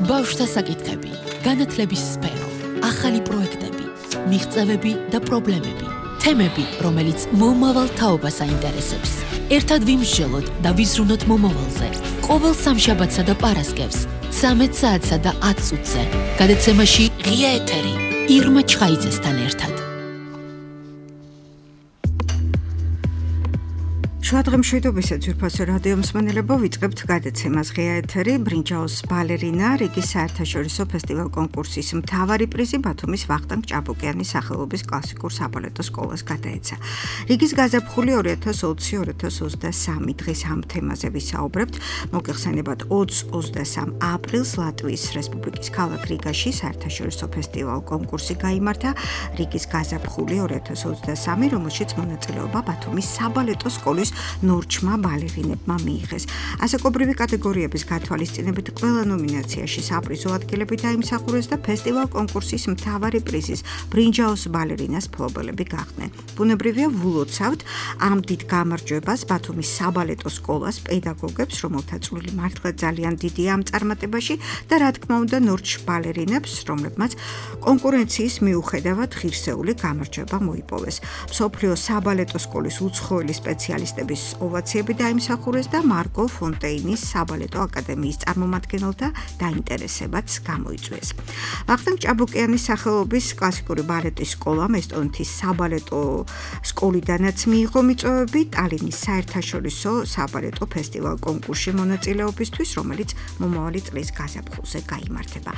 ბავშვთა საკითხები, განათლების სფერო, ახალი პროექტები, მიღწევები და პრობლემები, თემები, რომელიც მომავალ თაობას აინტერესებს. ერთად ვიმსჯელოთ და ვიზრუნოთ მომავალზე. ყოველ სამშაბათსა და პარასკევს 13 საათსა და 10 წუთზე. გადაცემაში ღია ეთერი ირმა ჩხაიძესთან ერთად. შუადღემშვიდობისა ძვირფასო რადიო მსმენელებო, ვიწყებთ გადაცემას ღია ეთერი. ბრინჯაოს ბალერინა რიგის საერთაშორისო ფესტივალ კონკურსის მთავარი პრიზი ბათუმის ვახტანგ ჭაბუკიანის სახელობის კლასიკურ საბალეტო სკოლას გადაეცა. რიგის გაზაფხული 2020-2023 დღეს ამ თემაზე ვისაუბრებთ. მოგეხსენებათ 20-23 აპრილს ლატვიის რესპუბლიკის ქალაქ რიგაში საერთაშორისო ფესტივალ კონკურსი გაიმართა. რიგის გაზაფხული 2023, რომელშიც მონაწილეობა ბათუმის საბალეტო სკოლის ნორჩმა ბალერინებმა მიიღეს. ასაკობრივი კატეგორიების გათვალისწინებით ყველა ნომინაციაში საპრიზო ადგილები დაიმსახურეს და ფესტივალ კონკურსის მთავარი პრიზის ბრინჯაოს ბალერინას მფლობელები გახდნენ. ბუნებრივია ვილოცავთ ამ დიდ გამარჯვებას ბათუმის საბალეტო სკოლას, პედაგოგებს, რომელთა წვლილი მართლა ძალიან დიდია ამ წარმატებაში და რა თქმა უნდა ნორჩ ბალერინებს, რომლებმაც კონკურენციის მიუხედავად ღირსეული გამარჯვება მოიპოვეს. მსოფლიო საბალეტო სკოლის უცხოელი სპეციალისტების ოვაციები დაიმსახურეს და მარკო ფონტეინის საბალეტო აკადემიის წარმომადგენელთა დაინტერესებაც გამოიწვიეს. ვახტანგ ჭაბუკიანის სახელობის კლასიკური ბალეტის სკოლამ ესტონეთის საბალეტო სკოლიდანაც მიიღო მიწვევები ტალინის საერთაშორისო საბალეტო ფესტივალ კონკურსში მონაწილეობისთვის, რომელიც მომავალი წლის გაზაფხულზე გაიმართება.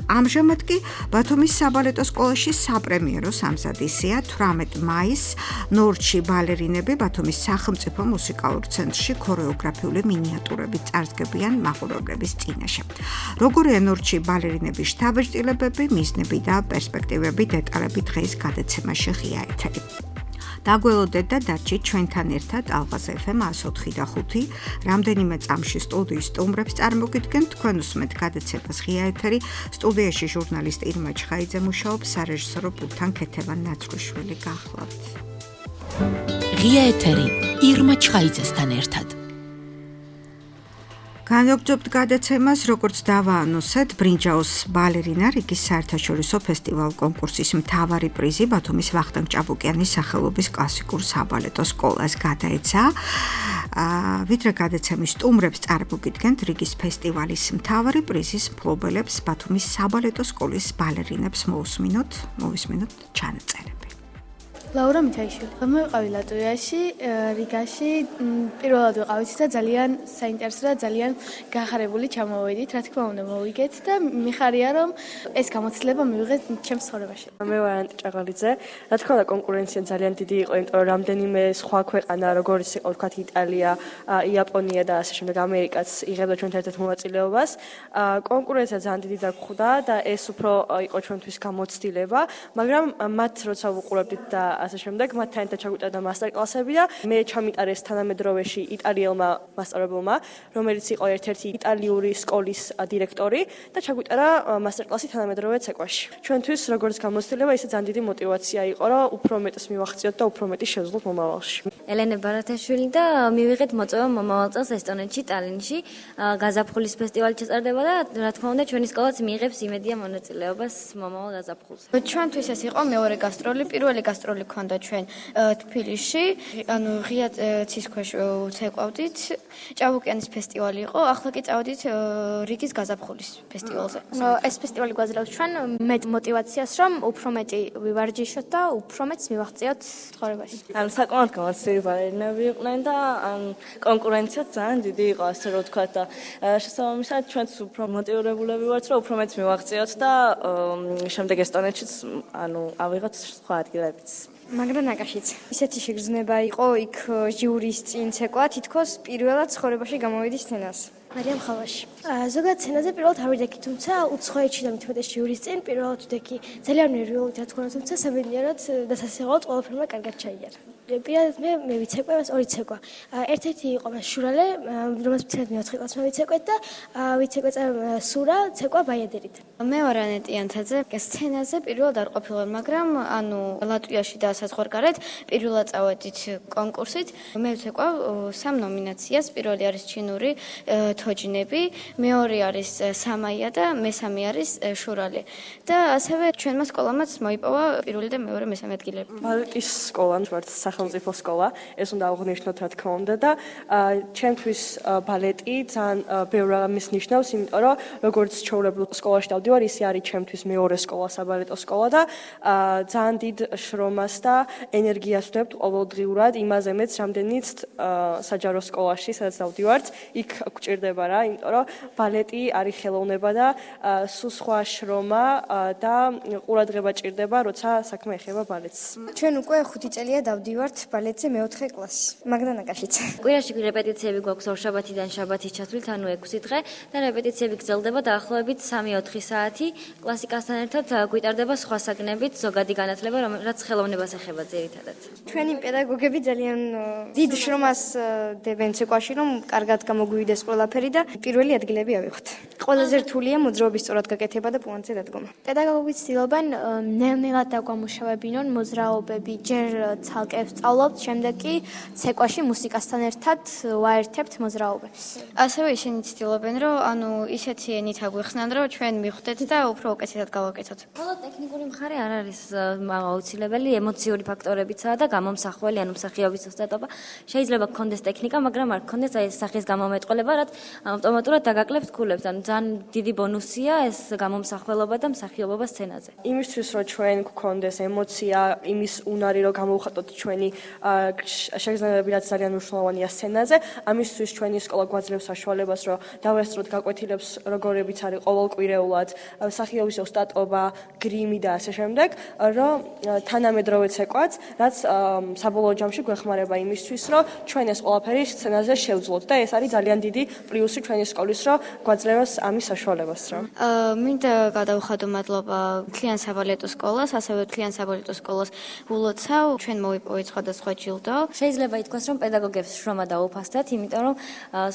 ამჟამად კი ბათუმის საბალეტო სკოლაში საპრემიერო სამზადისია. 18 მაისს ნორჩი ბალერინები ბათუმის სახელმწიფო მუსიკალურ ცენტრში ქორეოგრაფიული მინიატურებით წარსდგებიან მაყურებლების წინაშე. როგორია ნორჩი ბალერინების შთაბეჭდილებები, მიზნები და პერსპექტივები, დეტალები დღეს გადაცემაში ღია ეთერი. დაგველოდეთ და დარჩით ჩვენთან ერთად ალღაზ FM 104 და 5. რამდენიმე წამში სტუდიის სტუმრებს წარმოგიდგენთ. თქვენ უსმენთ გადაცემას ღია ეთერი. სტუდიაში ჟურნალისტი ირმა ჩხაიძე მუშაობს, სარეჟისორო პულტთან ქეთევან ნაცრუშვილი გახლავთ. ღია ეთერი ირმა ჩხაიძესთან ერთად. განვაგრძობთ გადაცემას, როგორც დავაანონსეთ, ბრინჯაოს ბალერინა რიგის საერთაშორისო ფესტივალ კონკურსის მთავარი პრიზი ბათუმის ვახტანგ ჭაბუკიანის სახელობის კლასიკურ საბალეტო სკოლას გადაეცა. ვიდრე გადაცემის სტუმრებს წარმოგიდგენთ რიგის ფესტივალის მთავარი პრიზის მფლობელებს ბათუმის საბალეტო სკოლის ბალერინებს მოვისმინოთ ჩანაწერები. ლაურა მითაიშვილი. მოვიყავი ლატვიაში, რიგაში. პირველად ვიყავით და ძალიან საინტერესო და ძალიან გახარებული ჩამოვედით. რა თქმა უნდა, მოვიგეთ და მიხარია რომ ეს გამოცდილება მივიღეთ ჩემს ცხოვრებაში. მე ვარ ანტი ჭაღალიძე. რა თქმა უნდა, კონკურენცია ძალიან დიდი იყო, იმიტომ რომ რამდენიმე სხვა ქვეყანა, როგორც იყო ვთქვათ იტალია, იაპონია და ასე შემდეგ ამერიკაც იღებდა ჩვენთან ერთად მონაწილეობას. კონკურენცია ძალიან დიდი დაგხვდა და ეს უფრო იყო ჩვენთვის გამოცდილება, მაგრამ მათ როცა ვუყურებდით და ასე შემდეგ მათთან ერთად ჩაგვიტარდა მასტერკლასები და მე ჩამიტარეს თანამედროვეში იტალიელმა მასწავლებელმა, რომელიც იყო ერთ-ერთი იტალიური სკოლის დირექტორი და ჩაგვიტარა მასტერკლასი თანამედროვე ცეკვაში. ჩვენთვის როგორც გამოცდილება ისე ძალიან დიდი мотиваცია იყო, რომ უფრო მეტს მივახციოთ და უფრო მეტი შევძლოთ მომავალში. ელენე ბარათაშვილი და მივიღეთ მოწვევა მომავალ წელს ესტონეთში, ტალინში გაზაფხულის ფესტივალი ჩატარდება და რა თქმა უნდა ჩვენი სკოლაც მიიღებს იმედია მონაწილეობას მომავალ გაზაფხულზე. ჩვენთვის ეს იყო მეორე გასტროლი, პირველი გასტროლი ქონდა ჩვენ თბილისში, ანუ ღია ცის ქვეშ ვცეკვავდით. ჭაბუკიანის ფესტივალი იყო, ახლა კი წავედით რიგის გაზაფხულის ფესტივალზე. ეს ფესტივალი გვაძლევს ჩვენ მეტ мотиваციას, რომ უფრო მეტი ვივარჯიშოთ და უფრო მეტს მივაღწიოთ ცხოვრებაში. საკმაოდ გამოცდილი ბალერინები იყვნენ და კონკურენცია ძალიან დიდი იყო, ასე რომ ვთქვათ და შესაბამისად ჩვენც უფრო მოტივირებულები ვართ, რომ უფრო მეტს მივაღწიოთ და შემდეგ ესტონეთშიც ავიღოთ სხვა ადგილებიც. მაგრამ ნაკაშიც. ისეთი შეგრძნება იყო იქ ჟიურის წინ ცეკვა, თითქოს პირველად ცხოვრებაში გამოვიდი სცენას. მარიამ ხალაში. ზოგადად სცენაზე პირველად არ ვიდექი, თუმცა უცხოეთში და მithumetes ჟიურის წინ პირველად ვიდექი. ძალიან ნერვიულით რა თქმა უნდა, თუმცა საბედნიეროდ და სასიყვარულოდ ყველაფერმა კარგად ჩაიარა. პირადად მე ვიცეკვე ორი ცეკვა. ერთ-ერთი იყო შურალე, რომელსაც ვცეკვეთ მე-4 კლასში ვიცეკვეთ და ვიცეკვეთ სურა, ცეკვა ბაიადერით. მე ვარ ანეტი ანთაძე. სცენაზე პირველად არ ყოფილვარ, მაგრამ ლატვიაში და საზღვარგარეთ პირველად წავედით კონკურსით. მე ვცეკვავ 3 ნომინაციას. პირველი არის ჩინური თოჯინები, მეორე არის სამაია და მესამე არის შურალი. და ასევე ჩვენმა სკოლამაც მოიპოვა პირველი და მეორე მესამე ადგილები. ბალეტის სკოლა ვართ სახელმწიფო სკოლა, ეს უნდა აღვნიშნოთ რა თქმა უნდა და ჩემთვის ბალეტი ძალიან ბევრ რამეს ნიშნავს, იმიტომ რომ როგორც ჩვეულებრივ სკოლაში დავდივარ, ისე არის ჩემთვის მეორე სკოლა, საბალეტო სკოლა და ძალიან დიდ შრომას და ენერგიას ვდებთ ყოველდღიურად იმაზე მეც, რამდენიც საჯარო სკოლაში, სადაც დავდივართ, იქ გვჭირდება რა, იმიტომ რომ ბალეტი არის ხელოვნება და სულ სხვა შრომა და ყურადღება ჭირდება, როცა საქმე ეხება ბალეტს. ჩვენ უკვე 5 წელია დავდივართ ბალეტზე მე-4 კლასში. მაგდანაკაშიც. კვირაში რეპეტიციები გვაქვს ორშაბათიდან შაბათის ჩათვლით, ანუ 6 დღე და რეპეტიციები გრძელდება დაახლოებით 3-4 საათი. კლასიკასთან ერთად გვიტარდება სხვა საგნებით, ზოგადი განათლება, რომელიც ხელოვნებას ეხება ძირითადად. ჩვენი პედაგოგები ძალიან დიდ შრომას დებენ ცეკვაში, რომ კარგად გამოგვივიდეს ყველაფერი და პირველი ადგილები ავიღოთ. ყველაზე რთულია მოძრაობის სწორად გაკეთება და პუანტზე დადგომა. პედაგოგები ცდილობენ ნელ-ნელად დაგვამუშავებინონ მოძრაობები, ჯერ ცალკე ვსწავლობთ, შემდეგ კი ცეკვაში მუსიკასთან ერთად ვაერთებთ მოძრაობებს. ასევე ისინი ცდილობენ, რომ ისეთი ენით აგვიხსნან, რომ ჩვენ მივხვდეთ და უფრო უკეთესად გავაკეთოთ. ხოლო ტექნიკური მხარე არ არის აუცილებელი, ემოციური ფაქტორებიცაა და გამომსახველი, ანუ მსახიობის ოსტატობა. შეიძლება გქონდეს ტექნიკა, მაგრამ არ გქონდეს აი ეს სახის გამომეტყველება, რაც ავტომატურად დაგაკლებთ ქულებს. ანუ ძალიან დიდი ბონუსია ეს გამომსახველობა და მსახიობობა სცენაზე. იმისთვის რომ ჩვენ გქონდეს ემოცია, იმის უნარი რომ გამოვხატოთ ჩვენი შეგრძნებები, რაც ძალიან მნიშვნელოვანია სცენაზე, ამისთვის ჩვენი სკოლა გვაძლევს საშუალებას, რომ დავესწროთ გაკვეთილებს, როგორებიც არის ყოველკვირეულად, მსახიობის ოსტატობა, გრიმი და ასე შემდეგ, რომ თანამედროვე ცეკვაც, რაც საბოლოო ჯამში გვეხმარება იმისთვის, რომ ჩვენ ეს ყველაფერი სცენაზე შევძლოთ და ეს არის ძალიან დიდი პლუსი ჩვენი სკოლის, რომ გვაძლევს ამის საშუალებას რა. მინდა გადავხადო მადლობა თლიან საბალეტო სკოლას, ასევე თლიან საბალეტო სკოლას ულოცავ, ჩვენ მოვიპოვეთ სხვადასხვა ჯილდო. შეიძლება ითქვას, რომ პედაგოგებს შრომა დაუფასდათ, იმიტომ რომ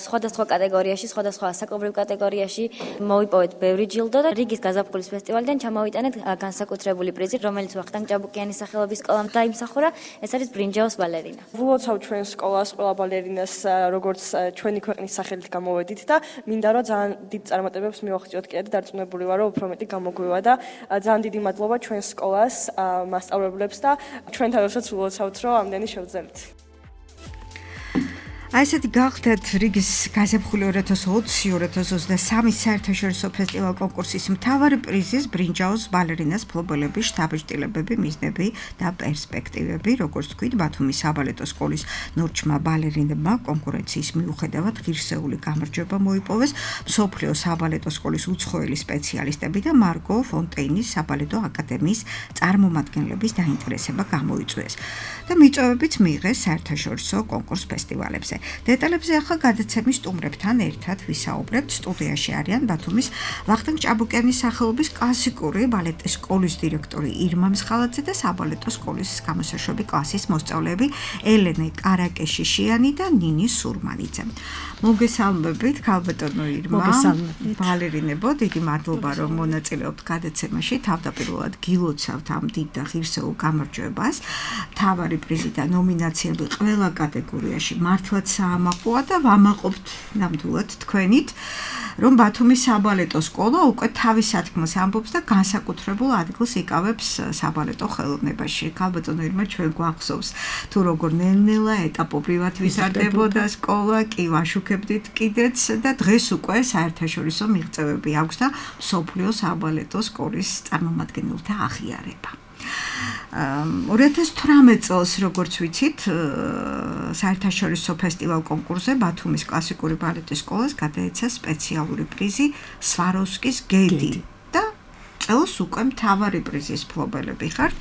სხვადასხვა კატეგორიაში, სხვადასხვა ასაკობრივ კატეგორიაში მოვიპოვეთ ბევრი ჯილდო და რიგის გაზაფხულის ფესტივალიდან ჩამოვიტანეთ განსაკუთრებული პრიზი, რომელიც ვახტანგ ჭაბუკიანის სახელობის სკოლამ დაიმსახურა. ეს არის ბრინჯაოს ბალერინა. ვლოცავ ჩვენ სკოლას, ყველა ბალერინას, როგორც ჩვენი ქვეყნის სახელით გამოვედით და მინდა რომ ძალიან დიდ წარმატებებს მივაღწიოთ კიდე და დარწმუნებული ვარ, რომ უფრო მეტი გამოგვივა და ძალიან დიდი მადლობა ჩვენ სკოლას, მასწავლებლებს და ჩვენ თავშეც ვლოცავთ, რომ ამდენი შევძელით. აი ესეთი გახდათ რიგის გაზაფხული 2020-2023 საერთაშორისო ფესტივალ კონკურსის მთავარი პრიზის ბრინჯაოს ბალერინას ფლობელები, შთაბეჭდილებები, მიზნები და პერსპექტივები, როგორც თქვით, ბათუმის საბალეტო სკოლის ნორჩმა ბალერინებმა კონკურენციის მიუხედავად ღირსეული გამარჯვება მოიპოვეს მსოფლიო საბალეტო სკოლის უცხოელი სპეციალისტები და მარგო ფონტეინის საბალეტო აკადემიის წარმომადგენლების დაინტერესება გამოიწვიეს და მიწვევებიც მიიღეს საერთაშორისო კონკურს ფესტივალებზე. დეტალებზე ახლა გადაცემის სტუმრებთან ერთად ვისაუბრებთ. სტუდიაში არიან ბათუმის ვახტანგ ჭაბუკიანის სახელობის კლასიკური ბალეტის სკოლის დირექტორი ირმა მსხალაძე და საბალეტო სკოლის გამოსაშვები კლასის მოსწავლეები ელენე კარაკეშიშიანი და ნინი სურმანიძე. მოგესალმებით, ქალბატონო ირმა. ბალერინებო, დიდი მადლობა, რომ მონაწილეობთ გადაცემაში. თავდაპირველად გილოცავთ ამ დიდ და ღირსეულ გამარჯვებას. მთავარი პრიზი და ნომინაციები ყველა კატეგორიაში მართლაც საამაყოა და ვამაყობთ ნამდვილად თქვენით, რომ ბათუმის საბალეტო სკოლა უკვე თავის სათქმელს ამბობს და განსაკუთრებულ ადგილს იკავებს საბალეტო ხელოვნებაში. ქალბატონო ირმა, ჩვენ გვახსოვს, თუ როგორ ნელ-ნელა ეტაპობრივად ვიზარდებოდა სკოლა, კი ვაშუქებდით კიდეც და დღეს უკვე საერთაშორისო მიღწევები აქვს და მსოფლიო საბალეტო სკოლის წარმომადგენელთა აღიარება. 2018 წელს, როგორც ვიცით, საერთაშორისო ფესტივალ კონკურსზე ბათუმის კლასიკური ბალეტის სკოლას გადაეცა სპეციალური პრიზი სვაროვსკის გედი და წელს უკვე მთავარი პრიზის ფლობელები ხართ.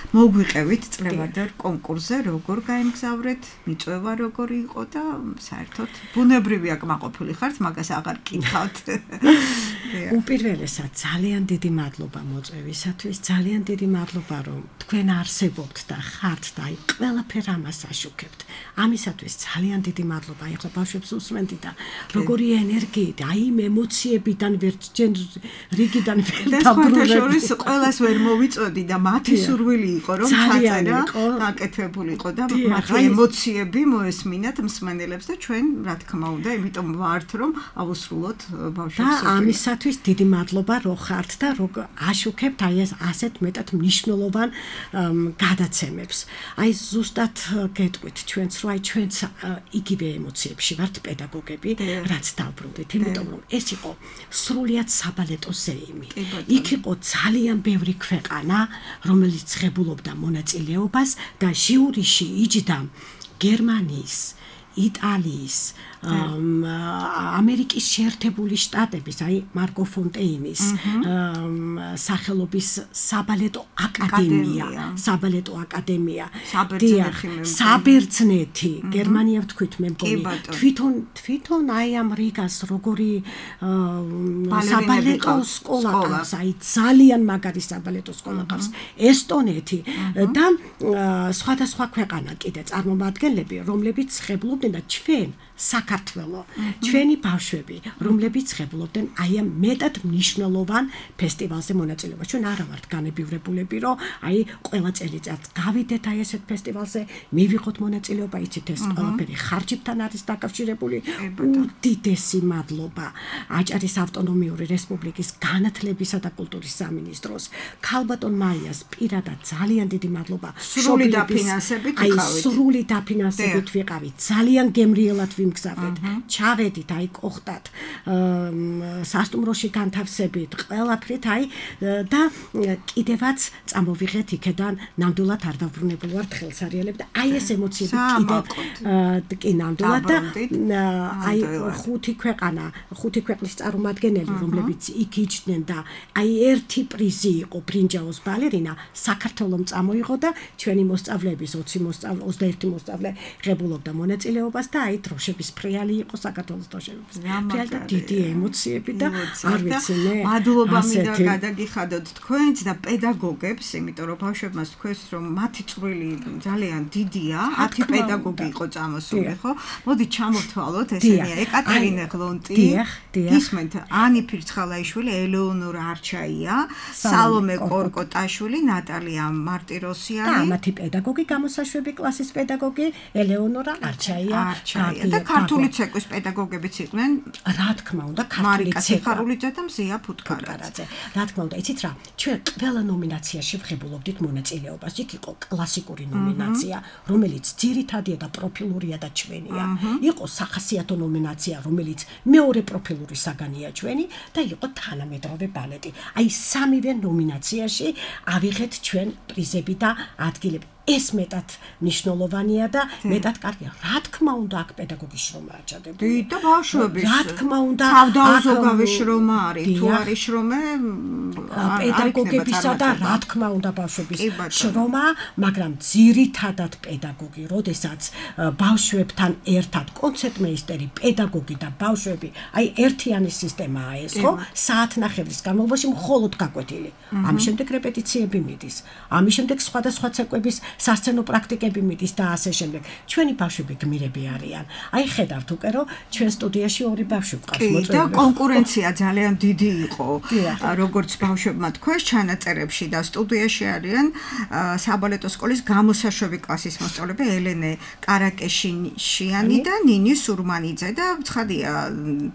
მოგვიყევით წლევადარ კონკურსზე, როგორ გაემგზავრეთ, მიწვევა როგორი იყო და საერთოდ ბუნებრივია კმაყოფილი ხართ, მაგას აღარ გკითხავთ. უპირველესად ძალიან დიდი მადლობა მოწვევისათვის, ძალიან დიდი მადლობა რომ თქვენ არსებობთ და ხართ და აი ყველაფერ ამას აშუქებთ. ამისათვის ძალიან დიდი მადლობა. ეხლა ბავშვებს უსმენდი და როგორი ენერგიით, აი იმ ემოციებიდან ვერჯენ რიგიდან ვერ დაბრუნებდი. შორის ყველას ვერ მოვიწოდი და მათი სურვილი იყო რომ ჩაწერა, გაკეთებული იყო და მათი ემოციები მოესმინათ მსმენელებს და ჩვენ რა თქმა უნდა, იმიტომ ვართ რომ ავუსრულოთ ბავშვებს. და ამისათვის დიდი მადლობა რომ ხართ და რომ აშუქებთ აი ეს ასეთ მეტად მნიშვნელოვან გადაცემებს. აი ზუსტად გეტყვით ჩვენც რომ აი ჩვენც იგივე ემოციებში ვართ პედაგოგები, რაც დავბრუნდით, იმიტომ რომ ეს იყო სრულიად საბალეტო ზეიმი. იქ იყო ძალიან ბევრი ქვეყანა, რომელიც ღებულობდა მონაწილეობას და ჟიურიში იჯდა გერმანიის, იტალიის, ამერიკის შეერთებული შტატების, აი მარკო ფონტეინის სახელობის საბალეტო აკადემია, საბერძნეთი, გერმანია ვთქვით მე მგონი, თვითონ აი ამ რიგას როგორი საბალეტო სკოლა ყავს, აი ძალიან მაგარი საბალეტო სკოლა ყავს, ესტონეთი და სხვადასხვა ქვეყანა კიდე წარმომადგენლები, რომლებიც ღებულობდნენ და ჩვენ საქართველო, ჩვენი ბავშვები, რომლებიც ღებულობდნენ აი ამ მეტად მნიშვნელოვან ფესტივალზე მონაწილეობას. ჩვენ არა ვართ განებივრებულები, რომ აი ყველა წელიწად გავიდეთ აი ესეთ ფესტივალზე, მივიღოთ მონაწილეობა, იცით ეს ყველაფერი ხარჯებთან არის დაკავშირებული. უდიდესი მადლობა აჭარის ავტონომიური რესპუბლიკის განათლებისა და კულტურის სამინისტროს, ქალბატონ მაიას პირადად ძალიან დიდი მადლობა. სრული დაფინანსებით ვიყავით. სრული დაფინანსებით ვიყავით. ძალიან გემრიელად ვიმგზავრეთ. ჩავედით აი კოხტად, სასტუმროში განთავსებით, ყველაფრით აი და კიდევაც წამოვიღეთ იქედან ნამდვილად არ დავრუნებულ ვართ ხელსარიელები და აი ეს ემოციები კიდე ნამდვილად და აი ხუთი ქვეყნის წარმომადგენელი, რომლებიც იქ იჯდნენ და აი ერთი პრიზი იყო ბრინჯაოს ბალერინა, საქართველომ წამოიღო და ჩვენი მოსწავლეების 21 მოსწავლე ღებულობდა მონაწილეობას და აი დროშების ფრიალი იყო საქართველოს დროშების ფრიალი და დიდი ემოციები და არ ვიცი მე მადლობა მინდა გადაგიხადოთ თქვენც და პედაგოგებს, იმიტომ რომ ბავშვებმაც თქვენს რომ მათი წვრილი ძალიან დიდია, 10 პედაგოგი იყო წამოსული, ხო? მოდი ჩამოვთვალოთ, ესენია ეკატერინე ღლონტი, ისმენთ ანი ფირცხალაიშვილი, ელეონორა არჩაია, სალომე კორკოტაშვილი, ნატალია მარტიროსიანი და მათი პედაგოგი, გამოსაშვები კლასის პედაგოგი ელეონორა არჩაია და ქართული ცეკვის პედაგოგებიც იყვნენ, რა თქმა უნდა, მარიკა სიხარულიძე და მზია ფუტკარაძე. რა თქმა უნდა, იცით რა, ჩვენ ყველა ნომინაციაში ვღებულობდით მონაწილეობას. იქ იყო კლასიკური ნომინაცია, რომელიც ძირითადია და პროფილურია და ჩვენია. იყო სახასიათო ნომინაცია, რომელიც მეორე პროფილური საგანია ჩვენი და იყო თანამედროვე ბალეტი. აი სამივე ნომინაციაში ავიღეთ ჩვენ პრიზები და ადგილები. ეს მეტად მნიშვნელოვანია და მეტად კარგია. რა თქმა უნდა, აქ პედაგოგის შრომა აჭადებული. და ბავშვების. რა თქმა უნდა, თავდაუზოგავი შრომა არის. თუ არის შრომა, პედაგოგებისა და რა თქმა უნდა, ბავშვების შრომა, მაგრამ ძირითადად პედაგოგი, როდესაც ბავშვებთან ერთად კონცერტმეისტერი, პედაგოგი და ბავშვები, აი ერთიანი სისტემაა ეს, ხო? საათნახევრის განმავლობაში მხოლოდ გაკვეთილი. ამის შემდეგ რეპეტიციები მიდის. ამის შემდეგ სხვადასხვა ცეკვების სასცენო პრაქტიკები მიდის და ასე შემდეგ. ჩვენი ბავშვები გმირები არიან. აი ხედავთ უკვე რომ ჩვენ სტუდიაში ორი ბავშვი ვყავს მოწვეული. და კონკურენცია ძალიან დიდი იყო. როგორც ბავშვებმა თქვეს ჩანაწერებში და სტუდიაში არიან საბალეტო სკოლის გამოსაშვები კლასის მოსწავლეები ელენე კარაკეშინიანი და ნინი სურმანიძე და ცხადია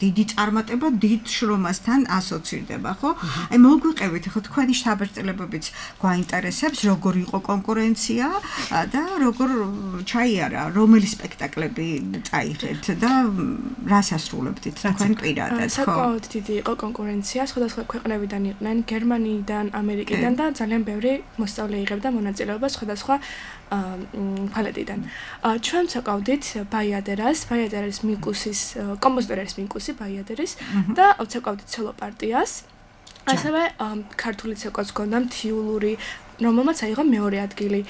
დიდი წარმატება დიდ შრომასთან ასოცირდება, ხო? აი მოგვიყევით ხო თქვენი შთაბეჭდილებებიც გვაინტერესებს, როგორ იყო კონკურენცია და როგორ ჩაიარა, რომელი სპექტაკლები წაიღეთ და რას ასრულებდით თქვენ პირადად, ხო? საკმაოდ დიდი იყო კონკურენცია, სხვადასხვა ქვეყნებიდან იყვნენ, გერმანიიდან, ამერიკიდან და ძალიან ბევრი მოსწავლე იღებდა მონაწილეობას სხვადასხვა ფალეტიდან. ჩვენ ვცეკვავდით ბაიადერის მიკუსის, კომპოზიტორის მიკუსი ბაიადერის და ვცეკვავდით სოლო პარტიას. ასევე ქართული ცეკვაც გქონდა მთიულური რომელმაც აიღო მეორე ადგილი.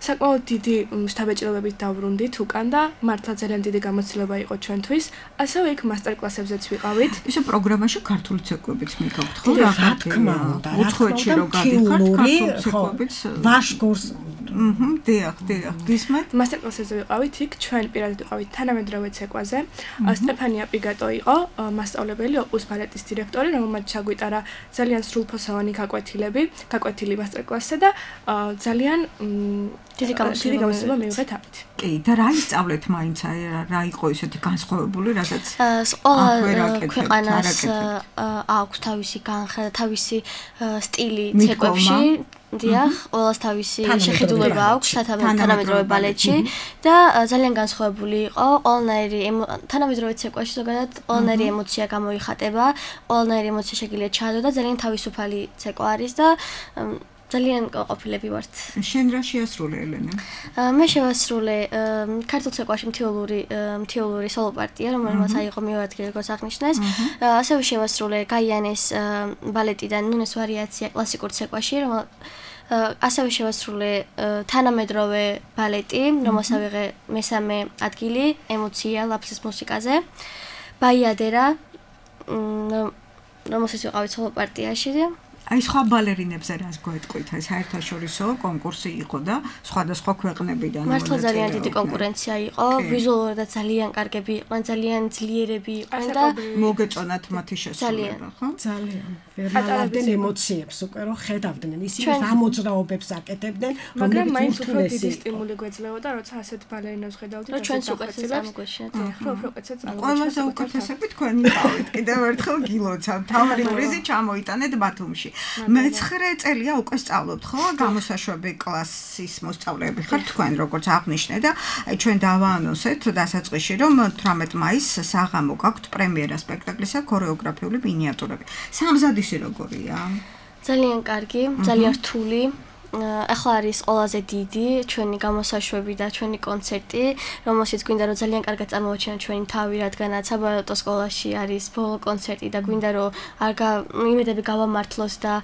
საკმაოდ დიდი შთაბეჭდილებით დავბრუნდით უკან და მართლა ძალიან დიდი გამოცდილება იყო ჩვენთვის. ასევე იქ მასტერკლასებზეც ვიყავით. ისე პროგრამაში ქართული ცეკვებიც მიგავთ, ხო? რა თქმა უნდა. უცხოეთში რო გადიხართ, ქართული ცეკვებიც ვაშგორს დიახ, გისმენთ? მასტერკლასებზე ვიყავით, იქ ჩვენ პირადად ვიყავით თანამედროვე ცეკვაზე. სტეფანია პიგატო იყო მასწავლებელი, ოპუს ბალეტის დირექტორი, რომელმაც ჩაგვიტარა ძალიან სრულფასოვანი გაკვეთილი მასტერკლასზე და ძალიან დიდი გამოცდილება მივიღეთ ამით. კი, და რა ისწავლეთ მაინც, რა იყო ისეთი განსხვავებული, რადგან ყველა ქვეყანას აქვს თავისი განხრა, თავისი სტილი ცეკვებში. დიახ, ყველას თავისი შეხედულება აქვს თანამედროვე ბალეტში და ძალიან განსხვავებული იყო. ყველანაირი თანამედროვე ცეკვაში ზოგადად ყველანაირი ემოცია გამოიხატება, ყველანაირი ემოცია შეგიძლია ჩაადო და ძალიან თავისუფალი ცეკვა არის და ძალიან ყოფილები ვართ. შენ რა შეასრულე, ელენა? მე შევასრულე ქართულ ცეკვაში მთიულური სოლო პარტია, რომელმაც აიღო მეორე ადგილი, როგორც აღნიშნეს. ასევე შევასრულე გაიანეს ბალეტიდან ნუნეს ვარიაცია კლასიკურ ცეკვაში, ასევე შევასრულე თანამედროვე ბალეტი, რომელსაც ავიღე მესამე ადგილი, ემოცია ლაფსის მუსიკაზე. ბაიადერა, რომელსაც ვიყავით სოლო პარტიაში. აი სხვა ბალერინებზე რას გვეტყვით? ეს საერთაშორისო კონკურსი იყო და სხვადასხვა ქვეყნებიდან მართლა ძალიან დიდი კონკურენცია იყო, ვიზუალურად ძალიან კარგები იყვნენ, ძალიან ძლიერები იყვნენ და მოგეწონათ მათი შესრულება, ხო? ძალიან ვერმალავდნენ ემოციებს უკვე რომ ხედავდნენ ისინი რა მოძრაობებს აკეთებდნენ, მაგრამ მაინც უფრო დიდი სტიმული გვეძლეოდა, როცა ასეთ ბალერინებს ხედავდით, რომ ჩვენც უკეთესად წამოგვეშინათ. ყველაზე უკეთესები თქვენი ყავით. კიდევ ერთხელ გილოცავ, თავი პრიზი ჩამოიტანეთ ბათუმში. მე-9 წელია უკვე სწავლობთ, ხო? გამოსაშვები კლასის მოსწავლეები ხართ თქვენ, როგორც აღნიშნე და ჩვენ დავაანონსეთ დასაწყისში, რომ 18 მაისს საღამო გაქვთ პრემიერა სპექტაკლისა ქორეოგრაფიული მინიატურები. სამზადისი როგორია? ძალიან კარგი, ძალიან რთული. ახლა არის ყველაზე დიდი ჩვენი გამოსაშვები და ჩვენი კონცერტი, რომელშიც გვინდა რომ ძალიან კარგად წარმოვაჩინოთ ჩვენი თავი, რადგანაც საბალეტო სკოლაში არის ბოლო კონცერტი და გვინდა რომ იმედები გავამართლოს და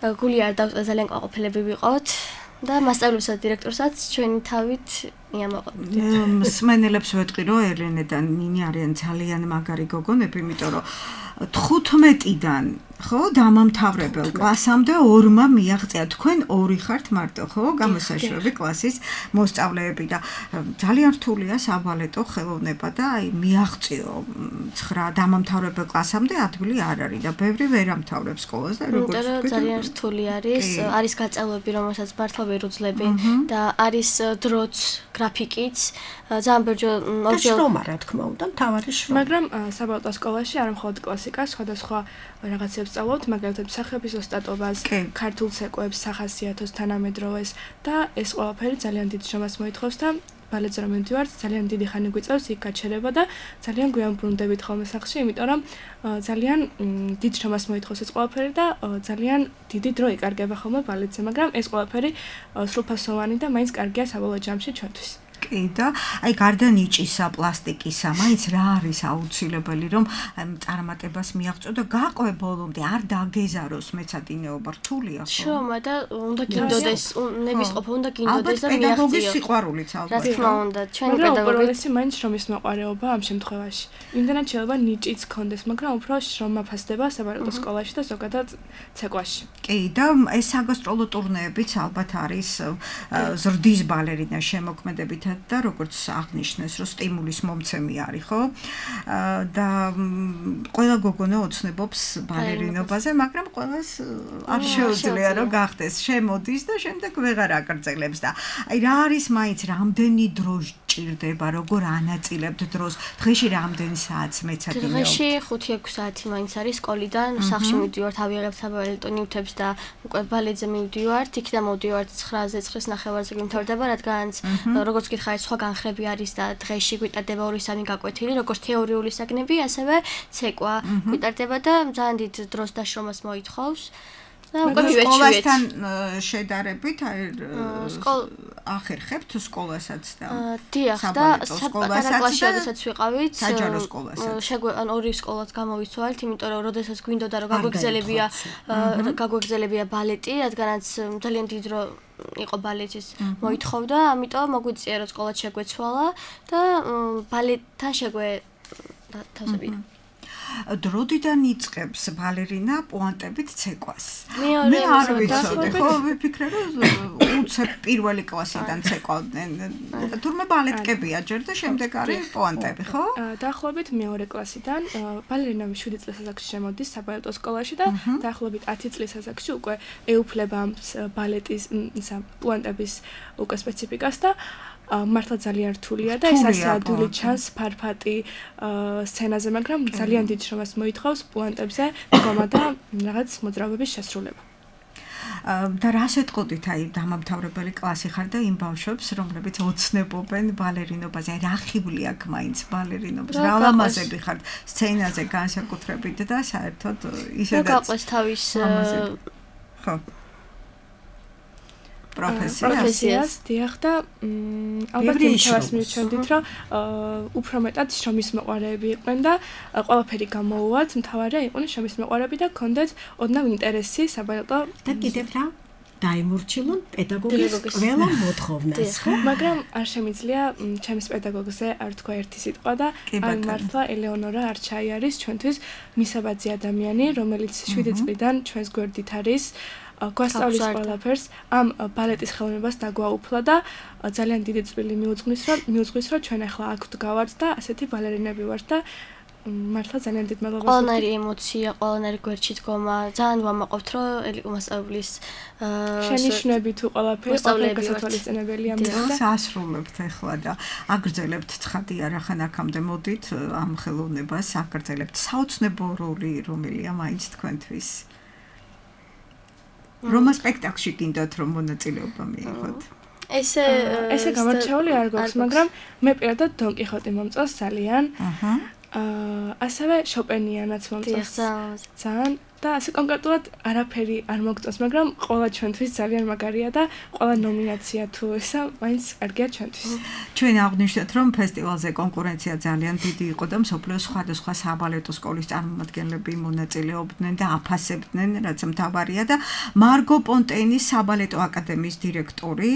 გული არ დავწვა ძალიან ყოფილები ვიყოთ და მასწავლებელსა და დირექტორსაც ჩვენი თავით მიამოყოთ. მსმენელებს ვეტყვი რომ ელენე და ნინი არიან ძალიან მაგარი გოგონები, იმიტომ რომ 15-დან ხო დამამთავრებელ კლასამდე 2-მა მიაღწია. თქვენ 2 ხართ მარტო, ხო? გამოსაშვები კლასის მოსწავლეები და ძალიან რთულია საბალეტო ხელოვნება და აი მიაღწიო 9 დამამთავრებელ კლასამდე ადგილი არ არის და ბევრი ვერ ამთავრებს სკოლას და როგორც ვთქვით, ძალიან რთული არის გაწევლები, რომელსაც მართლა ვერ უძლები და არის დროც, გრაფიკიც, ძალიან ბევრი შრომა, რა თქმა უნდა, მთავარი შრომა. მაგრამ საბალეტო სკოლაში არ მხოლოდ კლასიკას, სხვადასხვა რაღაცებს სწავლობთ, მაგალითად მსახიობის ოსტატობას, ქართულ ცეკვებს, სახასიათოს, თანამედროვეს და ეს ყველაფერი ძალიან დიდ შრომას მოითხოვს და ბალეტზე რომ მივდივართ, ძალიან დიდი ხანი გვიწევს იქ გაჩერება და ძალიან გვიან ბრუნდებით ხოლმე სახლში, იმიტომ რომ ძალიან დიდ შრომას მოითხოვს ეს ყველაფერი და ძალიან დიდი დრო იკარგება ხოლმე ბალეტზე, მაგრამ ეს ყველაფერი სრულფასოვანი და მაინც კარგია საბოლოო ჯამში ჩვენთვის. კი და აი გარდა ნიჭისა, პლასტიკისა, მაინც რა არის აუცილებელი რომ წარმატებას მიაღწიო და გაყვე ბოლომდე, არ დაგეზაროს მეცადინეობა რთულია ხო? შრომა და უნდა გინდოდეს, ნებისყოფა უნდა გინდოდეს და მიაღწიო. პედაგოგის სიყვარულიც ალბათ. რა თქმა უნდა, ჩვენი პედაგოგი უპირველესი მაინც შრომის მოყვარეობა ამ შემთხვევაში. იმდანაც შეიძლება ნიჭიც გქონდეს, მაგრამ უფრო შრომა ფასდება საბალეტო სკოლაში და ზოგადად ცეკვაში. კი და ეს საგასტროლო ტურნეებიც ალბათ არის ზრდის ბალერინა შემოქმედებით და როგორც აღნიშნეს, რომ სტიმულის მომცემი არის, ხო? და ყველა გოგონა ოცნებობს ბალერინობაზე, მაგრამ ყველას არ შეუძლია რომ გახდეს, შემოდის და შემდეგ ვეღარ აკრძელებს და აი რა არის მაინც რამდენი დრო ჭირდება, როგორ ანაწილებთ დროს, დღეში რამდენი საათს მეცადინეობთ? დღეში 5-6 საათი მაინც არის სკოლიდან, სახლში მივდივართ, ავიღებ საბალეტო ნივთებს და უკვე ბალეტზე მივდივართ, იქიდან მოვდივართ 9-ზე, 9:30-ზე გვიმთავრდება, რადგანაც როგორც გითხარით, სხვა განხრები არის და დღეში გვიტარდება 2-3 გაკვეთილი, როგორც თეორიული საგნები, ასევე ცეკვა გვიტარდება და ძალიან დიდ დროს და შრომას მოითხოვს. სკოლასთან შედარებით ახერხებთ სკოლასაც და დიახ და სკოლასაც როდესაც ვიყავით საჯარო სკოლასაც ან ორი სკოლაც გამოვიცვალეთ, იმიტომ რომ როდესაც გვინდოდა რომ გაგვეგზელებია ბალეტი, რადგანაც ძალიან დიდ დრო იყო ბალეტის მოითხოვდა, ამიტომ მოგვიწია რომ სკოლაც შეგვეცვალა და ბალეტთან თავსებია. დროდიდან იწყებს ბალერინა პუანტებით ცეკვას. მე არ ვიცოდი, ხო ვიფიქრე რომ უცებ პირველი კლასიდან ცეკვავდნენ. თურმე ბალეტკებია ჯერ და შემდეგ არის პუანტები, ხო? დაახლოებით მეორე კლასიდან ბალერინა 7 წლის ასაკში შემოდის საბალეტო სკოლაში და დაახლოებით 10 წლის ასაკში უკვე ეუფლება ბალეტის პუანტების უკვე სპეციფიკას და მართლა ძალიან რთულია და ეს ასე ადვილი ჩანს ფარფატი სცენაზე, მაგრამ ძალიან დიდ შრომას მოითხოვს პუანტებზე დგომა და რაღაც მოძრაობების შესრულება. და რას ეტყოდით აი დამამთავრებელი კლასი ხარ და იმ ბავშვებს, რომლებიც ოცნებობენ ბალერინობაზე, აი რა ხიბლი აქვს მაინც ბალერინობას, რა ლამაზები ხართ სცენაზე განსაკუთრებით და საერთოდ ისედაც რა გაყვეს თავის ხო პროფესიას დიახ და ალბათ იმას მივჩვენდით რომ უფრო მეტად შრომის მოყვარეები იყვნენ და ყველაფერი გამოუვათ, მთავარია იყვნენ შრომის მოყვარეები და გქონდეთ ოდნავ ინტერესი საბალეტო და კიდევ რა დაიმორჩილონ პედაგოგის ყველა მოთხოვნას, ხო? მაგრამ არ შემიძლია ჩემს პედაგოგზე არ თქვა ერთი სიტყვა და აი მართლა ელეონორა არჩაი არის ჩვენთვის მისაბაძი ადამიანი, რომელიც 7 წლიდან ჩვენს გვერდით არის. გვასწავლის ყველაფერს ამ ბალეტის ხელოვნებას დაგვაუფლა და ძალიან დიდი წვლილი მიუძღვის რომ ჩვენ ახლა აქ ვდგავართ და ასეთი ბალერინები ვართ და მართლა ძალიან დიდ მადლობას ყველანაირი ემოცია, ყველანაირი გვერდში დგომა, ძალიან ვამაყობთ რომ ელიკო მასწავლებლის შენიშვნები თუ ყველაფერი გასათვალისწინებელია და ასრულებთ ახლა და აგრძელებთ ცხადია რახან აქამდე მოდით ამ ხელოვნებას აგრძელებთ საოცნებო როლი რომელია მაინც თქვენთვის რომა სპექტაკლში გინდათ რომ მონაწილეობა მიიღოთ. ესე გამორჩეული არ გვაქვს, მაგრამ მე პირადად დონ კიხოტი მომწონს ძალიან. ასევე შოპენიანაც მომწონს. ძალიან და ასე კონკრეტულად არაფერი არ მოგწონს, მაგრამ ყველა ჩვენთვის ძალიან მაგარია და ყველა ნომინაცია თუ ესა მაინც კარგია ჩვენთვის. ჩვენ აღვნიშნეთ, რომ ფესტივალზე კონკურენცია ძალიან დიდი იყო და მსოფლიოს სხვადასხვა საბალეტო სკოლის წარმომადგენლები მონაწილეობდნენ და აფასებდნენ, რაც მთავარია და მარგო პონტეინის საბალეტო აკადემიის დირექტორი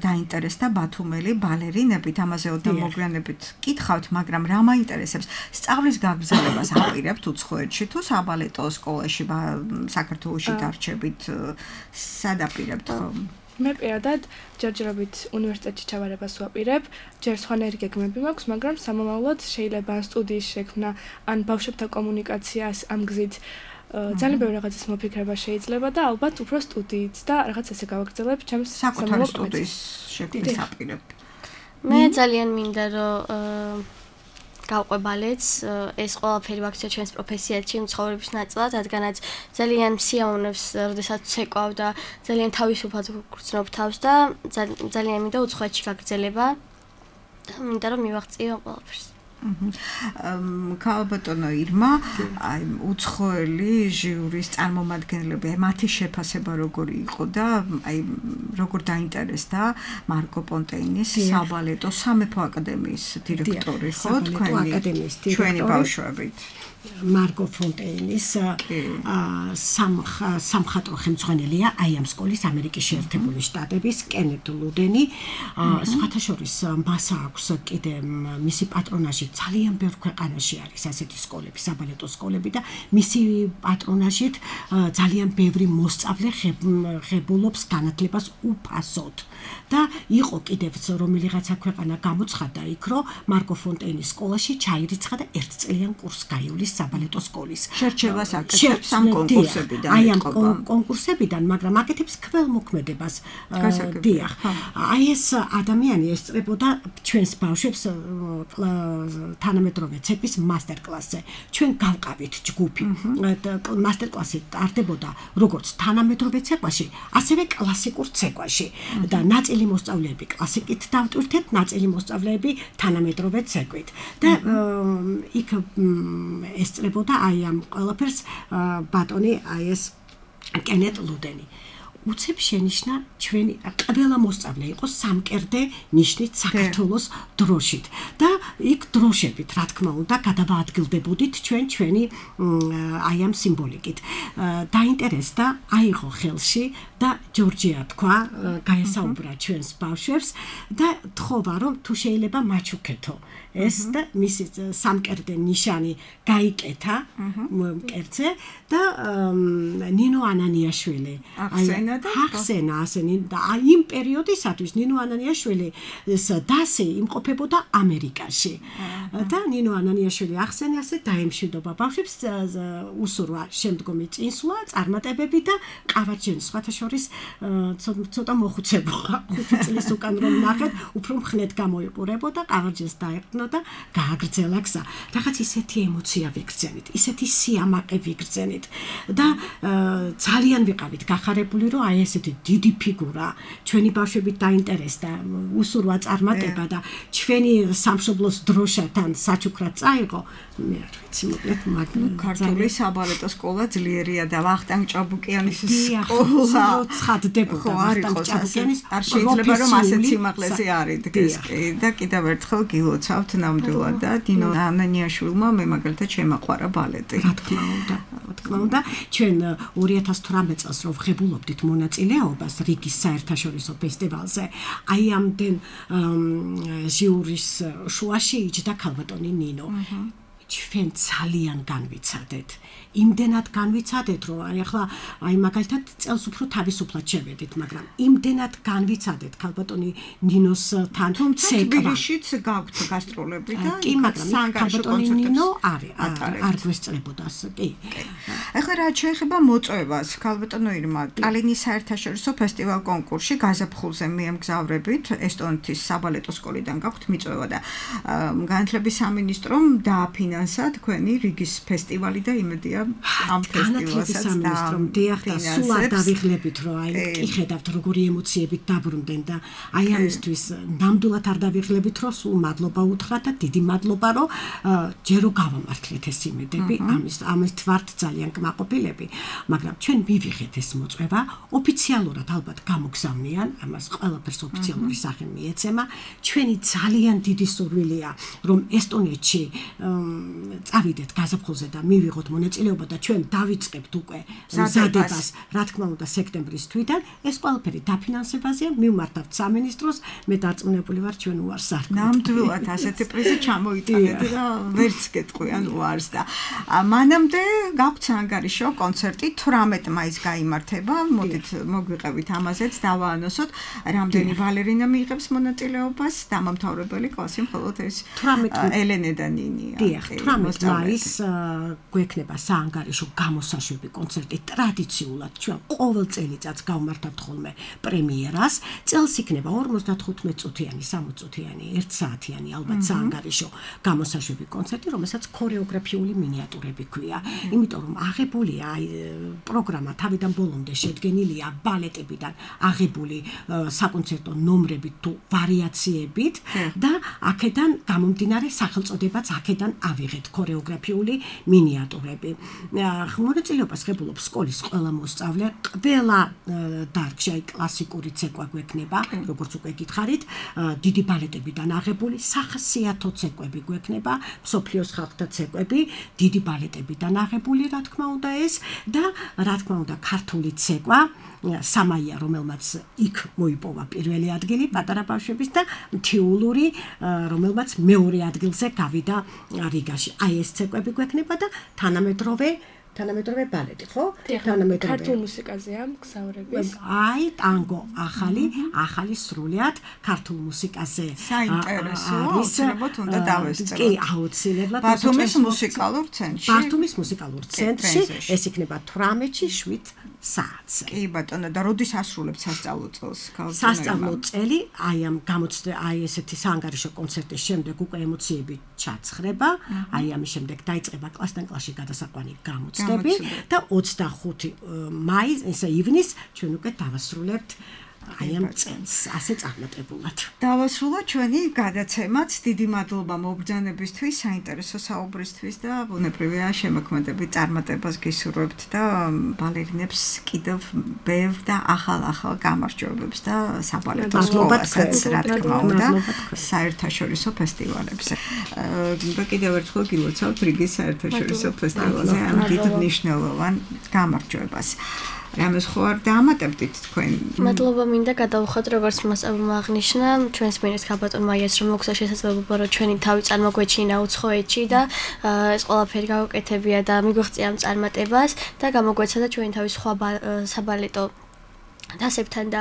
დაინტერესდა ბათუმელი ბალერინებით, ამაზე ოდნავ მოგვიანებით კითხავთ, მაგრამ რა მაინტერესებს? სწავლის გაგრძელებას აპირებთ უცხოეთში თუ საბალეტო სკოლაში საქართველოში დარჩებით სადაპირებთ ხომ? მე პირადად ჯერჯერობით უნივერსიტეტში ჩავარებას ვაპირებ, ჯერ სხვანაირი გეგმები მაქვს, მაგრამ სამომავლოდ შეიძლება ან სტუდიის შექმნა, ან ბავშვებთან კომუნიკაციას ამ გზით ძალიან ბევრი რაღაცის მოფიქრება შეიძლება და ალბათ უფრო სტუდიით და რაღაც ესე გავაგრძელებ ჩემს საკუთარი სტუდიის შექმნის აპირებ. მე ძალიან მინდა რომ გავყვე ბალეტს, ეს ყველაფერი ვაქცია ჩვენს პროფესიაში, ცხოვრების ნაწილად, რადგანაც ძალიან მსიაუნებს, როდესაც ცეკვავ და ძალიან თავისუფლად გგრძნობ თავს და ძალიან მინდა უცხოეთში გაგრძელება და მინდა რომ მივაღწიო ყველაფერს. ქალბატონო ირმა, აი უცხოელი ჟიურის წარმომადგენლები, მათი შეფასება როგორი იყო და აი როგორ დაინტერესდა მარკო პონტეინის საბალეტო სამეფო აკადემიის დირექტორი, ხო, ჩვენი ბავშვებით. მარკო პონტეინის სამხატვრო ხელმძღვანელია აი ამ სკოლის ამერიკის შეერთებული შტატების კენეთ ლუდენი. სხვათა შორის მასა აქვს კიდე მისი პატრონაჟი ძალიან ბევრ ქვეყანაში არის ასეთი სკოლები, საბალეტო სკოლები და მისი პატრონაჟით ძალიან ბევრი მოსწავლე ღებულობს განათლებას უფასოდ. და იყო კიდევ რომელიღაცა ქვეყანა გამოცხადდა იქ, რომ მარკო პონტეინის სკოლაში ჩაირიცხა და 1 წლიან კურსს გაივლის საბალეტო სკოლის. შერჩევას აკეთებს ამ კონკურსებიდან. აი ამ კონკურსებიდან, მაგრამ აკეთებს ქველმოქმედებას. დიახ. აი ეს ადამიანი ესწრებოდა ჩვენს ბავშვებს თანამედროვე ცეკვის მასტერკლასზე. ჩვენ გავყავით ჯგუფი. მასტერკლასი ტარდებოდა როგორც თანამედროვე ცეკვაში, ასევე კლასიკურ ცეკვაში. და ნაწილი მოსწავლეები კლასიკით დავტვირთეთ, ნაწილი მოსწავლეები თანამედროვე ცეკვით. და იქ ესწრებოდა აი ამ ყველაფერს ბატონი აი ეს კენეტ ლუდენი. უცებ შენიშნა ჩვენი ყველა მოსწავლე იყო სამკერდე ნიშნით საქართველოს დროშით და იქ დროშებით რა თქმა უნდა გადავაადგილდებოდით ჩვენი აი ამ სიმბოლიკით. დაინტერესდა აიღო ხელში და ჯორჯია თქვა გაესაუბრა ჩვენს ბავშვებს და თხოვა რომ თუ შეიძლება მაჩუქეთო ეს და მისი სამკერდე ნიშანი გაიკეთა მკერდზე და ნინო ანანიაშვილი ახსენა ასენი და იმ პერიოდისათვის ნინო ანანიაშვილის დასი იმყოფებოდა ამერიკაში და ნინო ანანიაშვილი ახსენა ასე დაემშვიდობა ბავშვებს უსურვა შემდგომი წინსვლა წარმატებები და ყავარჯენის სხვათა შორის ცოტა მოხუცებულა 5 წლის უკან რომ ნახეთ უფრო მხნედ გამოიყურებოდა ყავარჯენს დაეყნო და გააგრძელა გზა რაღაც ისეთი ემოცია ვიგრძენით ისეთი სიამაყე ვიგრძენით და ძალიან ვიყავით გახარებული რომ აი ესეთი დიდი ფიგურა ჩვენი ბავშვებით დაინტერესდა უსურვა წარმატება და ჩვენი სამშობლოს დროშათან საჩუქრად წაიღო მე არ ვიცი მოკლედ მაგრამ ქართული საბალეტო სკოლა ძლიერია და ვახტანგ ჭაბუკიანის სკოლა ცხადდებოდა ვახტანგ ჭაბუკიანის არ შეიძლება რომ ასეთ სიმაღლეზე არიდგეს კი და კიდევ ერთხელ გილოცავთ ნამდვილად და დინო ანანიაშვილმა მე მაგალითად შემაყვარა ბალეტი რა თქმა უნდა ჩვენ 2018 წელს რო ვღებულობდით მონაწილეობას რიგის საერთაშორისო ფესტივალზე აი ამდენ ჟიურის შუაში იჯდა ქალბატონი ნინო ჩვენ ძალიან განვიცადეთ იმდენად განვიცადეთ რომ ახლა აი მაგალითად წელს უფრო თავისუფლად შევედით მაგრამ იმდენად განვიცადეთ ქალბატონი ნინოს თან თბილისშიც გაქვთ გასტროლები და კი მაგრამ ქალბატონი ნინო არ გვესწრებოდა კი ახლა რა შეიძლება მოწვევას ქალბატონო ირმა ტალინის საერთაშორისო ფესტივალ კონკურსში გაზაფხულზე მიემგზავრებით ესტონეთის საბალეტო სკოლიდან გაქვთ მიწვევა და განათლების სამინისტრომ დააფინანსა თქვენი რიგის ფესტივალი და იმედია ამ ფესტივალსაც და სულ არ დავიღლებით რომ აი კი ხედავთ როგორი ემოციებით დაბრუნდნენ და აი ამისთვის ნამდვილად არ დავიღლებით რომ სულ მადლობა უთხრა და დიდი მადლობა რომ ჯერო გავამართლეთ ეს იმედები ამის ვართ ძალიან კმაყოფილები მაგრამ ჩვენ მივიღეთ ეს მოწვევა ოფიციალურად ალბათ გამოგზავნიან ამას ყველაფერს ოფიციალური სახე მიეცემა ჩვენი ძალიან დიდი სურვილია რომ ესტონეთში წავიდეთ გაზაფხულზე და მივიღოთ მონაწილეობა და ჩვენ დავიწყებთ უკვე მზადებას რა თქმა უნდა სექტემბრის თვიდან ეს ყველაფერი დაფინანსებაზეა მივმართავთ სამინისტროს მე დარწმუნებული ვარ ჩვენ უარს არ ნამდვილად ასეთი პრიზი ჩამოიტანეთ და ვერც გეტყვიან უარს და მანამდე გაქვთ ანგარიშო კონცერტი 18 მაისს გაიმართება მოდით მოგვიყევით ამაზეც დავაანონსოთ რამდენი ბალერინა მიიღებს მონაწილეობას დამამთავრებელი კლასი მხოლოდ ეს ელენე და ნინია 18 მაისს გვექნება საანგარიშო გამოსაშვები კონცერტი ტრადიციულად ჩვენ ყოველ წელიწადს გავმართავთ ხოლმე პრემიერას წელს იქნება 55 წუთიანი 60 წუთიანი 1 საათიანი ალბათ საანგარიშო გამოსაშვები კონცერტი რომელსაც ქორეოგრაფიული მინიატურები ქვია იმიტომ რომ აღებულია პროგრამა თავიდან ბოლომდე შედგენილია ბალეტებიდან აღებული საკონცერტო ნომრებით თუ ვარიაციებით და აქედან გამომდინარე სახელწოდებაც აქედან ავიღეთ ქორეოგრაფიული მინიატურები. მონაწილეობას ღებულობს სკოლის ყველა მოსწავლე, ყველა დარგში კლასიკური ცეკვა გვექნება, როგორც უკვე გითხარით, დიდი ბალეტებიდან აღებული სახასიათო ცეკვები გვექნება, მსოფლიოს ხალხთა ცეკვები, დიდი ბალეტებიდან აღებული, რა თქმა უნდა ეს და რა თქმა უნდა ქართული ცეკვა სამაია რომელმაც იქ მოიპოვა პირველი ადგილი პატარა ბავშვების და მთიულური რომელმაც მეორე ადგილზე გავიდა რიგაში. აი ეს ცეკვები გვექნება და თანამედროვე ბალეტი, ხო? თანამედროვე ქართულ მუსიკაზეა მგზავრები. აი, ტანგო ახალი სრულიად ქართულ მუსიკაზე. საინტერესოა, აუცილებლად უნდა დავესწროთ. კი, აუცილებლად. ბათუმის მუსიკალურ ცენტრში. ბათუმის მუსიკალურ ცენტრში ეს იქნება 18-ში 7 საათს. კი, ბატონო, და როდის ასრულებთ სასწავლო წელს? სასწავლო წელი, აი ამ აი ესეთი საანგარიშო კონცერტის შემდეგ უკვე ემოციები ჩაცხრება, აი ამის შემდეგ დაიწყება კლასთან კლასში გადასაყვანი გამოწვევა და 25 მაისს, ივნის ჩვენ უკვე დავასრულებთ აი ამ წელს ასე წარმატებულად. დავასრულოთ ჩვენი გადაცემაც. დიდი მადლობა მობრძანებისთვის, საინტერესო საუბრისთვის და ბუნებრივია შემოქმედებით წარმატებას გისურვებთ და ბალერინებს კიდევ ბევრ და ახალ გამარჯვებებს და საბალეტო სკოლასაც რა თქმა უნდა საერთაშორისო ფესტივალებზე. და კიდევ ერთხელ გილოცავთ რიგის საერთაშორისო ფესტივალზე ამ დიდ მნიშვნელოვან გამარჯვებას. რამეს ხო არ დაამატებდით თქვენ? მადლობა მინდა გადავხოთ, როგორც მასწავლებელმა აღნიშნა, ჩვენს მინეს ხალბატონმა იეს რომ მოგცა შესაძლებლობა რომ ჩვენი თავი წარმოგვეჩინა უცხოეთში და ეს ყველაფერი გავუკეთებია და მიგვაღწია ამ წარმატებას და გამოგვეცა და ჩვენი თავი სხვა საბალეტო დასებთან და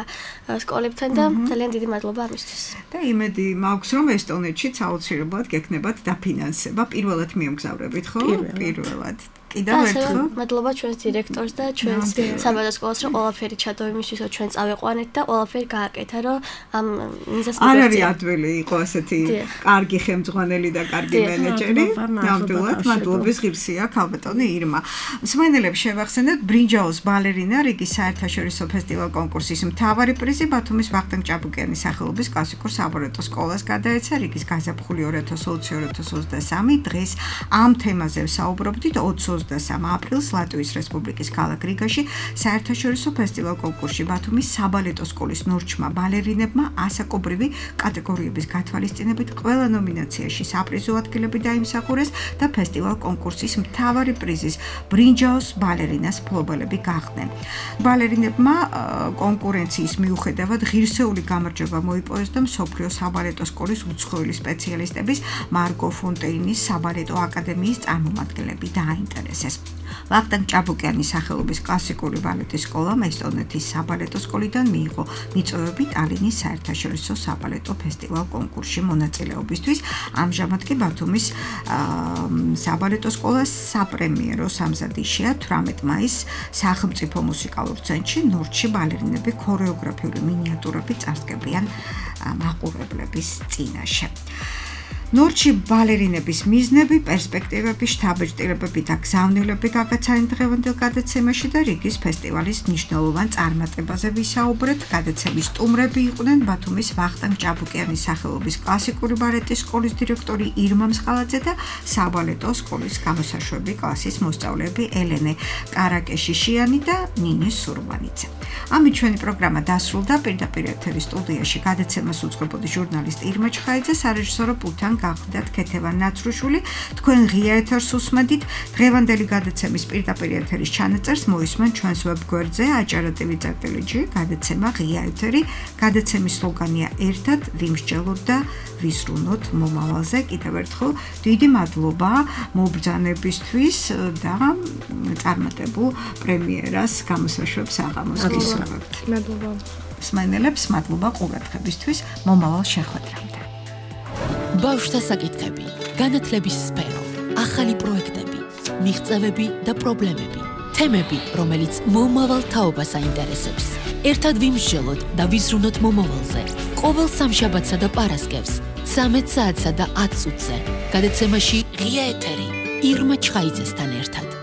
სკოლებთან და ძალიან დიდი მადლობა ამისთვის. და იმედი მაქვს რომ ესტონეთშიც აუცილებლად გექნებათ დაფინანსება. პირველად მიემგზავრებით ხო? პირველად. კიდევ ერთხელ მადლობა ჩვენს დირექტორს და ჩვენს საბალეტო სკოლას რომ ყველაფერი ჩადო იმისთვის რომ ჩვენ წავიყვანეთ და ყველაფერი გააკეთა რომ ამ მიზანს არ არის ადვილი იყო ასეთი კარგი ხელმძღვანელი და კარგი მენეჯერი. ნამდვილად მადლობის ღირსია ხალბატონი ირმა. მსმენელებს შევახსენებთ ბრინჯაოს ბალერინა რიგის საერთაშორისო ფესტივალ კონკურსის მთავარი პრიზი ბათუმის ვახტანგ ჭაბუკიანის სახელობის კლასიკურ საბალეტო სკოლას გადაეცა რიგის გაზაფხული 2020-2023 დღეს ამ თემაზე ვსაუბრობდით 23 აპრილს ლატვიის რესპუბლიკის ქალაქ რიგაში საერთაშორისო ფესტივალ კონკურსში ბათუმის საბალეტო სკოლის ნორჩმა ბალერინებმა ასაკობრივი კატეგორიების გათვალისწინებით ყველა ნომინაციაში საპრიზო ადგილები დაიმსახურეს და ფესტივალ კონკურსის მთავარი პრიზის ბრინჯაოს ბალერინას მფლობელები გახდნენ. ბალერინებმა კონკურენციის მიუხედავად ღირსეული გამარჯვება მოიპოვეს და მსოფლიო საბალეტო სკოლის უცხოელი სპეციალისტების მარგო ფონტეინის საბალეტო აკადემიის წარმომადგენლები დაინტერესდნენ. ვახტანგ ჭაბუკიანის სახელობის კლასიკური ბალეტის სკოლამ ესტონეთის საბალეტო სკოლიდან მიიღო მიწვევები ტალინის საერთაშორისო საბალეტო ფესტივალ კონკურსში მონაწილეობისთვის. ამჟამად კი ბათუმის საბალეტო სკოლას საპრემიერო სამზადისია 18 მაისს სახელმწიფო მუსიკალურ ცენტრში ნორჩი ბალერინები ქორეოგრაფიული მინიატურები წარსდგებიან მაყურებლების წინაშე. ნორჩი ბალერინების მიზნები, პერსპექტივები, შთაბეჭდილებები და გზავნილები გაგაცანით დღევანდელ გადაცემაში და რიგის ფესტივალის მნიშვნელოვან წარმატებაზე ვისაუბრეთ. გადაცემის სტუმრები იყვნენ ბათუმის ვახტანგ ჭაბუკიანის სახელობის კლასიკური ბალეტის სკოლის დირექტორი ირმა მსხალაძე და საბალეტო სკოლის გამოსაშვები კლასის მოსწავლეები ელენე კარაკეშიშიანი და ნინე სურმანიძე. ამით ჩვენი პროგრამა დასრულდა. პირდაპირ ეთერის სტუდიაში გადაცემას უძღვებოდი ჟურნალისტი ირმა ჩხაიძე, სარეჟისორო პულტთან გახლდათ ქეთევან ნაცრუშული. თქვენ ღია ეთერს უსმენთ. დღევანდელი გადაცემის პირდაპირ ეთერის ჩანაწერს მოისმენთ ჩვენს ვებგვერდზე acara.tv.gr გადაცემა ღია ეთერი. გადაცემის სლოგანია ერთად ვიმსჯელოთ და ვიზრუნოთ მომავალზე. კიდევ ერთხელ დიდი მადლობა მობრძანებისთვის და წარმატებულ პრემიერას გამოსაშვებს აღამოს გისურვებთ. მადლობა. მსმენელებს მადლობა ყურადღებისთვის. მომავალ შეხვედრამდე. ბავშვთა საკითხები, განათლების სფერო, ახალი პროექტები, მიღწევები და პრობლემები, თემები, რომელიც მომავალ თაობას აინტერესებს. ერთად ვიმსჯელოთ და ვიზრუნოთ მომავალზე. ყოველ სამშაბათსა და პარასკევს 13 საათსა და 10 წუთზე. გადაცემაში ღია ეთერი ირმა ჩხაიძესთან ერთად.